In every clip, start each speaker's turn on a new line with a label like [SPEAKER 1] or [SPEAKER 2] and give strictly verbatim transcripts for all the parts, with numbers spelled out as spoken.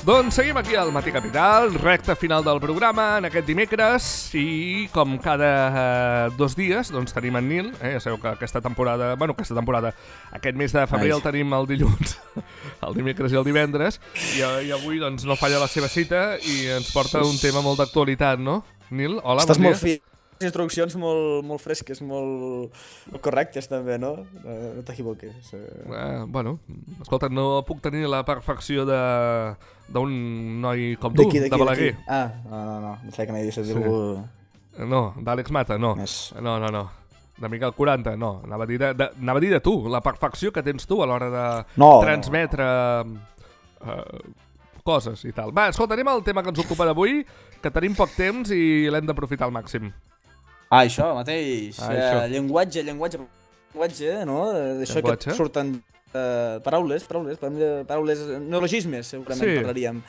[SPEAKER 1] Doncs seguim aquí al Matí Capital, recta final del programa en aquest dimecres i com cada eh, dos dies doncs tenim en Nil, eh? Ja sabeu que aquesta temporada, bueno, aquesta temporada, aquest mes de febrer el tenim el dilluns, el dimecres i el divendres i, i avui doncs no falla la seva cita i ens porta un tema molt d'actualitat, no? Nil, hola,
[SPEAKER 2] Estàs
[SPEAKER 1] bon dia.
[SPEAKER 2] molt fi. Instruccions molt, molt fresques, molt, molt correctes també, no? No t'equivoques.
[SPEAKER 1] Eh, bueno, escolta, no puc tenir la perfecció de d'un noi com tu, de Balaguer.
[SPEAKER 2] Ah, no, no, no, no sé que n'hi deixat dir-ho.
[SPEAKER 1] No, d'Àlex Mata, no.
[SPEAKER 2] Més.
[SPEAKER 1] No, no, no. De Miquel quaranta, no. Anava a dir de, de, anava a dir de tu, la perfecció que tens tu a l'hora de
[SPEAKER 2] no,
[SPEAKER 1] transmetre no. Uh, coses i tal. Va, escolta, anem al tema que ens ocupa d'avui, que tenim poc temps i l'hem d'aprofitar al màxim.
[SPEAKER 2] Ah, això mateix.
[SPEAKER 1] Ah, això.
[SPEAKER 2] Uh, llenguatge, llenguatge, llenguatge, no? D'això que surten uh, paraules, paraules, paraules, neologismes, segurament sí. Parlaríem,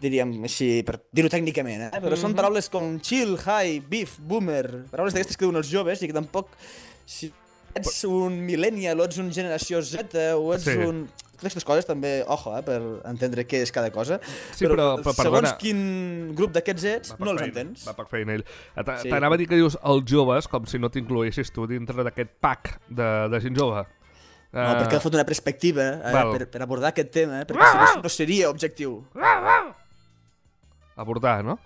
[SPEAKER 2] diríem així, per dir-ho tècnicament, eh? Però mm-hmm. són paraules com chill, high, beef, boomer, paraules d'aquestes que diuen els joves i que tampoc, si ets un millennial o ets un generació Z o ets sí. un... Aquestes coses també, ojo, eh, per entendre què és cada cosa,
[SPEAKER 1] sí, però, però, però
[SPEAKER 2] segons quin grup d'aquests ets, no els entens.
[SPEAKER 1] Va per feina ell. Sí. T'anava a dir que dius els joves, com si no t'incloïssis tu dintre d'aquest pack de, de gent jove.
[SPEAKER 2] No, uh... perquè ha fot una perspectiva eh, per, per abordar aquest tema, eh, perquè si no, no seria objectiu.
[SPEAKER 1] Abordar, no?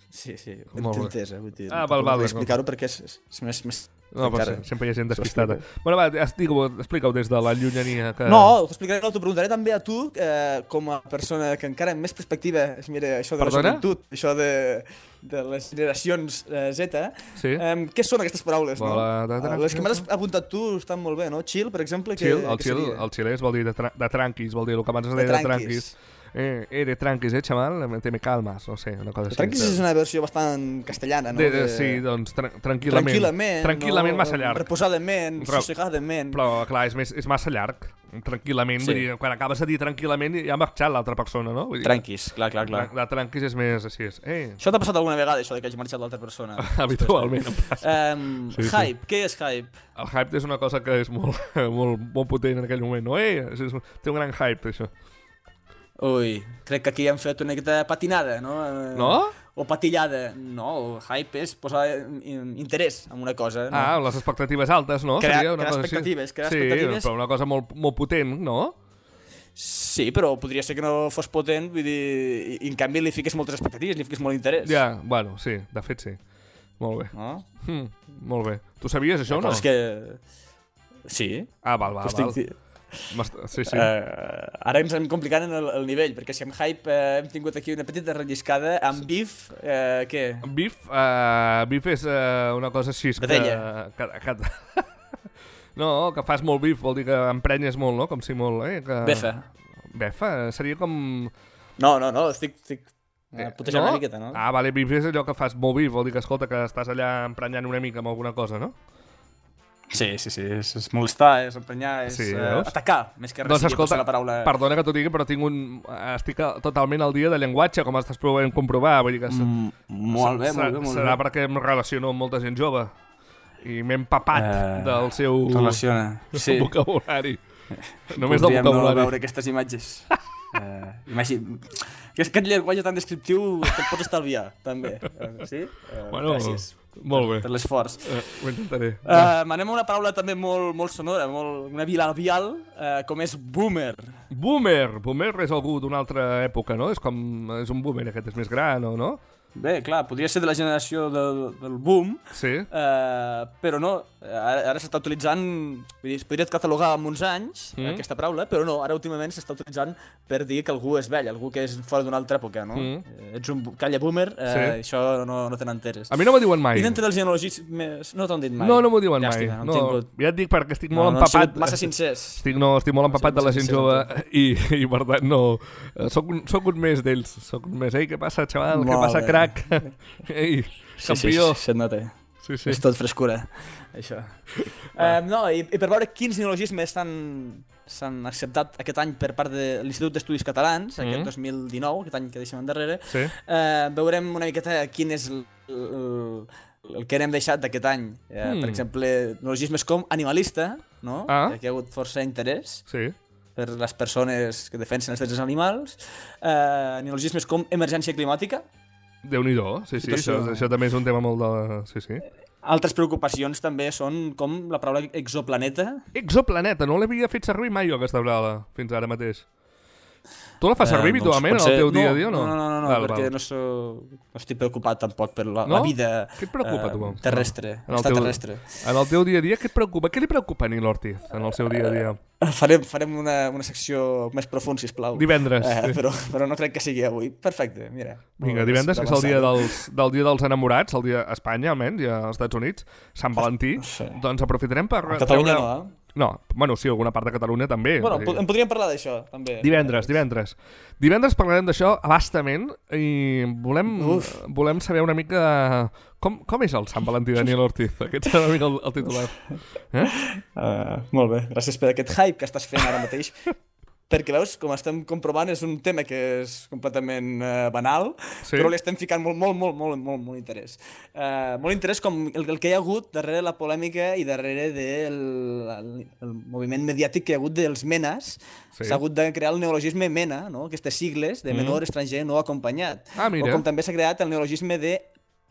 [SPEAKER 2] Sí, sí, ho entès, eh? Vull dir,
[SPEAKER 1] ah, val, val.
[SPEAKER 2] Explicar-ho perquè és, és més... més
[SPEAKER 1] no, però sempre hi ha gent despistada. Bueno, va, explica-ho des de la llunyania. Que...
[SPEAKER 2] No, t'explicaré, no, t'ho preguntaré també a tu, eh, com a persona que encara amb més perspectiva es mira això de
[SPEAKER 1] Perdona?
[SPEAKER 2] la joventut, això de, de les generacions eh, Z.
[SPEAKER 1] Sí.
[SPEAKER 2] Eh, què són aquestes paraules, no?
[SPEAKER 1] La, de, de,
[SPEAKER 2] les que m'has apuntat tu estan molt bé, no? Chill, per exemple,
[SPEAKER 1] chill,
[SPEAKER 2] que,
[SPEAKER 1] el
[SPEAKER 2] que
[SPEAKER 1] chill,
[SPEAKER 2] seria?
[SPEAKER 1] El xilès vol dir de, tra de tranquis, vol dir el que abans es deia de, de tranquis. Eh, eh, de tranquis, eh, xaval? Te me calmas, no sé, una cosa així.
[SPEAKER 2] Tranquis és una versió bastant castellana, no?
[SPEAKER 1] De, de, sí, doncs, tra tranquil·lament.
[SPEAKER 2] Tranquil·lament,
[SPEAKER 1] tranquil·lament
[SPEAKER 2] no?
[SPEAKER 1] Massa llarg.
[SPEAKER 2] Reposadament, sossegadament.
[SPEAKER 1] Però, clar, és, més, és massa llarg. Tranquil·lament, sí. Vull dir, quan acabes de dir tranquil·lament ja ha marxat l'altra persona, no? Vull dir,
[SPEAKER 2] tranquis, clar, clar, clar.
[SPEAKER 1] La, la tranquis és més així. És, eh.
[SPEAKER 2] Això t'ha passat alguna vegada, això de que hagi marxat l'altra persona?
[SPEAKER 1] Habitualment em passa.
[SPEAKER 2] Um, sí, hype, sí. Què és hype?
[SPEAKER 1] El hype és una cosa que és molt, molt, molt potent en aquell moment, no? Eh, és, té un gran hype, això.
[SPEAKER 2] Ui, crec que aquí hem fet una miqueta patinada, no?
[SPEAKER 1] No?
[SPEAKER 2] O patillada. No, hype és posar interès en una cosa. No?
[SPEAKER 1] Ah, les expectatives altes, no?
[SPEAKER 2] Crear,
[SPEAKER 1] Seria una
[SPEAKER 2] crear
[SPEAKER 1] cosa
[SPEAKER 2] expectatives, crear
[SPEAKER 1] sí,
[SPEAKER 2] expectatives.
[SPEAKER 1] Sí, però una cosa molt, molt potent, no?
[SPEAKER 2] Sí, però podria ser que no fos potent, vull dir, i, i en canvi li fiques moltes expectatives, li fiques molt interès.
[SPEAKER 1] Ja, bueno, sí, de fet sí. Molt bé.
[SPEAKER 2] No?
[SPEAKER 1] Hm, molt bé. Tu sabies això o no?
[SPEAKER 2] És que... Sí.
[SPEAKER 1] Ah, val, val, val. Estic... Sí, sí.
[SPEAKER 2] Uh, ara ens hem complicat en el, el nivell, perquè si amb hype uh, hem tingut aquí una petita relliscada, amb beef, uh, què?
[SPEAKER 1] Beef, uh, beef és uh, una cosa així que... que, que, que no, que fas molt beef, vol dir que emprenyes molt, no? Com si molt... Eh, que...
[SPEAKER 2] Befa.
[SPEAKER 1] Befa? Seria com...
[SPEAKER 2] No, no, no, estic... estic... Uh, putejant no? Una miqueta, no?
[SPEAKER 1] Ah, vale, beef és allò que fas molt beef, vol dir que, escolta, que estàs allà emprenyant una mica amb alguna cosa, no?
[SPEAKER 2] Sí, sí, sí, és, és molestar, és emprenyar, és sí, uh, atacar, més que res
[SPEAKER 1] doncs, escolta,
[SPEAKER 2] la paraula...
[SPEAKER 1] Perdona que t'ho digui, però tinc un... estic totalment al dia de llenguatge, com estàs provant comprovar, vull dir que...
[SPEAKER 2] Mm, molt bé, molt bé, molt
[SPEAKER 1] serà
[SPEAKER 2] bé.
[SPEAKER 1] perquè em relaciono amb molta gent jove i m'he empapat uh, del seu
[SPEAKER 2] relaciona. Sí.
[SPEAKER 1] vocabulari. Només del vocabulari.
[SPEAKER 2] Podríem no veure aquestes imatges. uh, imagina... Aquest llenguatge tan descriptiu te'l pots estalviar, també. Uh, sí? Uh,
[SPEAKER 1] bueno,
[SPEAKER 2] gràcies.
[SPEAKER 1] Molt bé.
[SPEAKER 2] Per, per l'esforç.
[SPEAKER 1] Uh, ho intentaré.
[SPEAKER 2] Uh, Anem a una paraula també molt, molt sonora, molt, una bilabial, uh, com és boomer.
[SPEAKER 1] Boomer! Boomer és algú d'una altra època, no? És com... És un boomer, aquest és més gran, o no?
[SPEAKER 2] Bé, clar, podria ser de la generació del, del boom,
[SPEAKER 1] sí.
[SPEAKER 2] uh, però no, ara, ara s'està utilitzant, vull dir, es podria catalogar amb uns anys, mm. aquesta paraula, però no, ara últimament s'està utilitzant per dir que algú és vell, algú que és fora d'una altra època, no? Mm. Ets un calla boomer, uh, sí. Això no, no te n'enteres.
[SPEAKER 1] A mi no m'ho diuen mai.
[SPEAKER 2] I dintre dels genealogismes no t'han dit mai.
[SPEAKER 1] No, no m'ho diuen
[SPEAKER 2] ja
[SPEAKER 1] mai.
[SPEAKER 2] Estic, no,
[SPEAKER 1] no,
[SPEAKER 2] tingut...
[SPEAKER 1] Ja et dic perquè estic molt
[SPEAKER 2] no,
[SPEAKER 1] empapat.
[SPEAKER 2] No massa sincers.
[SPEAKER 1] Estic, no, estic molt empapat no, de la gent jove i, i per tant no... Soc un, soc un més d'ells. Soc un més. Ei, què passa, xaval? Molt què passa, bé. Crac? Ei, campió.
[SPEAKER 2] Sí, sí, se't nota.
[SPEAKER 1] Sí, sí.
[SPEAKER 2] És tot frescura, això. Ah. Um, no, i, i per veure quins neologismes s'han acceptat aquest any per part de l'Institut d'Estudis Catalans, mm. aquest dos mil dinou, aquest any que deixem endarrere,
[SPEAKER 1] sí.
[SPEAKER 2] uh, veurem una miqueta quin és el, el, el que n'hem deixat d'aquest any. Uh, mm. Per exemple, neologismes com animalista, no?
[SPEAKER 1] Ah.
[SPEAKER 2] Que hi ha hagut força interès.
[SPEAKER 1] Sí.
[SPEAKER 2] per les persones que defensen els drets dels animals, eh, neologismes com emergència climàtica.
[SPEAKER 1] Déu-n'hi-do, sí, sí, situació... això, això també és un tema molt de... Sí, sí.
[SPEAKER 2] Altres preocupacions també són com la paraula exoplaneta.
[SPEAKER 1] Exoplaneta, no l'havia fet servir mai jo aquesta paraula fins ara mateix. Tu la fas servir
[SPEAKER 2] eh,
[SPEAKER 1] habitualment
[SPEAKER 2] doncs,
[SPEAKER 1] en el teu
[SPEAKER 2] no,
[SPEAKER 1] dia a dia o no?
[SPEAKER 2] No, no, no, no
[SPEAKER 1] val,
[SPEAKER 2] perquè
[SPEAKER 1] val.
[SPEAKER 2] no, so, no estic preocupat tampoc per la,
[SPEAKER 1] no?
[SPEAKER 2] la vida
[SPEAKER 1] què et preocupa, tu?
[SPEAKER 2] eh, terrestre,
[SPEAKER 1] no.
[SPEAKER 2] extraterrestre.
[SPEAKER 1] En el teu dia a dia, què et preocupa? Què li preocupa a Nil Ortiz en el seu dia a dia?
[SPEAKER 2] Farem, farem una, una secció més profund, sisplau.
[SPEAKER 1] Divendres.
[SPEAKER 2] Eh,
[SPEAKER 1] sí.
[SPEAKER 2] però, però no crec que sigui avui. Perfecte, mira.
[SPEAKER 1] Vinga, divendres, que és el dia dels, del dia dels enamorats, el dia a Espanya, almenys, i als Estats Units, Sant Valentí,
[SPEAKER 2] sí.
[SPEAKER 1] Doncs aprofitarem per...
[SPEAKER 2] A Catalunya
[SPEAKER 1] treure...
[SPEAKER 2] no, eh?
[SPEAKER 1] No, bueno, sí, alguna part de Catalunya també.
[SPEAKER 2] Bueno, en podríem parlar d'això, també.
[SPEAKER 1] Divendres, divendres. Divendres parlarem d'això abastament i volem, volem saber una mica com, com és el Sant Valentí de Nil Ortiz. Aquest és una mica el, el titular. Eh?
[SPEAKER 2] Uh, molt bé, gràcies per aquest hype que estàs fent ara mateix. Perquè veus, com estem comprovant, és un tema que és completament uh, banal, sí. Però li estem ficant molt, molt, molt, molt, molt, molt interès. Uh, molt interès com el, el que hi ha hagut darrere la polèmica i darrere del el, el moviment mediàtic que hi ha hagut dels menes. S'ha sí. hagut de crear el neologisme mena, no? Aquestes sigles de menor mm. estranger no acompanyat.
[SPEAKER 1] Ah, mira.
[SPEAKER 2] O com també s'ha creat el neologisme de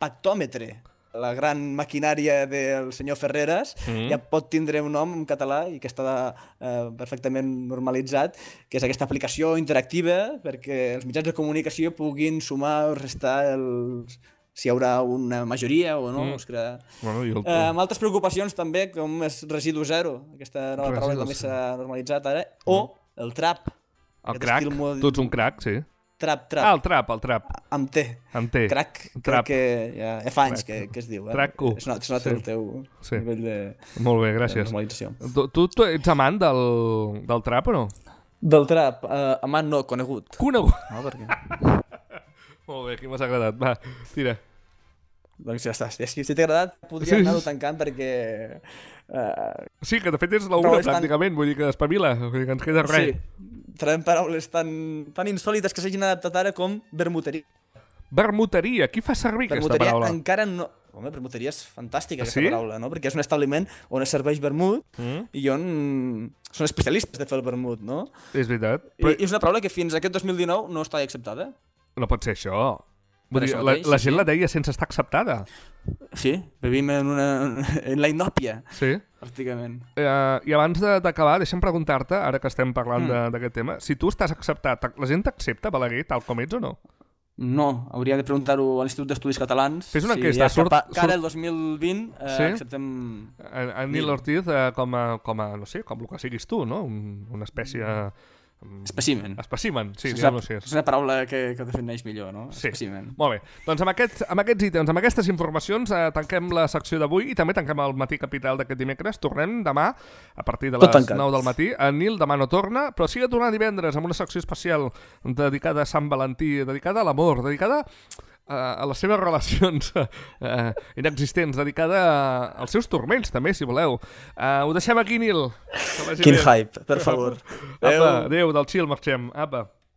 [SPEAKER 2] pactòmetre. La gran maquinària del senyor Ferreras mm. ja pot tindre un nom en català i que està eh, perfectament normalitzat, que és aquesta aplicació interactiva perquè els mitjans de comunicació puguin sumar o restar els... si hi haurà una majoria o no. Mm. Es crea... bueno, el... eh, amb altres preocupacions també, com és residu zero, aquesta nova paraula que també s'ha normalitzat ara, mm. o el trap.
[SPEAKER 1] El crack, mod... tu ets un crack, sí.
[SPEAKER 2] Trap, trap.
[SPEAKER 1] Ah, el trap, el trap.
[SPEAKER 2] Amb T.
[SPEAKER 1] Amb T.
[SPEAKER 2] Crac, crec que ja, ja fa anys que, que es diu. Eh?
[SPEAKER 1] Trac-cu.
[SPEAKER 2] És not, és not sí. el teu sí. nivell de,
[SPEAKER 1] molt bé, gràcies.
[SPEAKER 2] de normalització.
[SPEAKER 1] Tu, tu, tu ets amant del, del trap o no?
[SPEAKER 2] Del trap? Uh, amant no, conegut.
[SPEAKER 1] Conegut?
[SPEAKER 2] No, perquè...
[SPEAKER 1] molt bé, aquí m'has agradat. Va, tira.
[SPEAKER 2] Doncs ja està. Si t'ha agradat, podria sí. anar-ho tancant perquè...
[SPEAKER 1] Uh... Sí, que de fet és la una pràcticament, tan... vull dir que espavila, vull dir que ens queda res.
[SPEAKER 2] Sí, trobem paraules tan, tan insòlites que s'hagin adaptat ara com vermuteria.
[SPEAKER 1] Vermuteria, qui fa servir
[SPEAKER 2] vermuteria
[SPEAKER 1] aquesta paraula?
[SPEAKER 2] Encara no... Home, vermuteria és fantàstica, aquesta
[SPEAKER 1] sí?
[SPEAKER 2] paraula, no? Perquè és un establiment on es serveix vermut mm. i on són especialistes de fer el vermut, no?
[SPEAKER 1] És veritat.
[SPEAKER 2] Però... I és una paraula que fins a aquest dos mil dinou no està acceptada.
[SPEAKER 1] No pot ser això. Vull dir, la, la gent sí. la deia sense estar acceptada.
[SPEAKER 2] Sí, vivim en, una, en la inòpia,
[SPEAKER 1] sí.
[SPEAKER 2] pràcticament.
[SPEAKER 1] Uh, I abans d'acabar, deixa'm preguntar-te, ara que estem parlant mm. d'aquest tema, si tu estàs acceptat, la gent t'accepta, Balaguer, tal com ets o no?
[SPEAKER 2] No, hauria de preguntar-ho a l'Institut d'Estudis Catalans.
[SPEAKER 1] Fes una
[SPEAKER 2] si
[SPEAKER 1] enquesta.
[SPEAKER 2] Ja surt, surt... Cara el dos mil vint eh, sí? acceptem...
[SPEAKER 1] A, a Nil Ortiz eh, com, a, com a, no sé, com el que siguis tu, no? Un, una espècie...
[SPEAKER 2] Espècimen.
[SPEAKER 1] Espècimen, sí,
[SPEAKER 2] diguem-ho així. És una paraula que, que defineix millor, no?
[SPEAKER 1] Sí.
[SPEAKER 2] Espècimen.
[SPEAKER 1] Molt bé. Doncs amb, aquest, amb aquests ítems, amb aquestes informacions, eh, tanquem la secció d'avui i també tanquem el Matí Capital d'aquest dimecres. Tornem demà, a partir de les nou del matí. En Nil demà no torna, però sí que torna divendres amb una secció especial dedicada a Sant Valentí, dedicada a l'amor, dedicada a les seves relacions uh, inexistents, dedicada als seus turments, també, si voleu. Uh, ho deixem aquí, Nil.
[SPEAKER 2] Quin hype, per favor.
[SPEAKER 1] Apa, adéu, del chill marxem. Apa.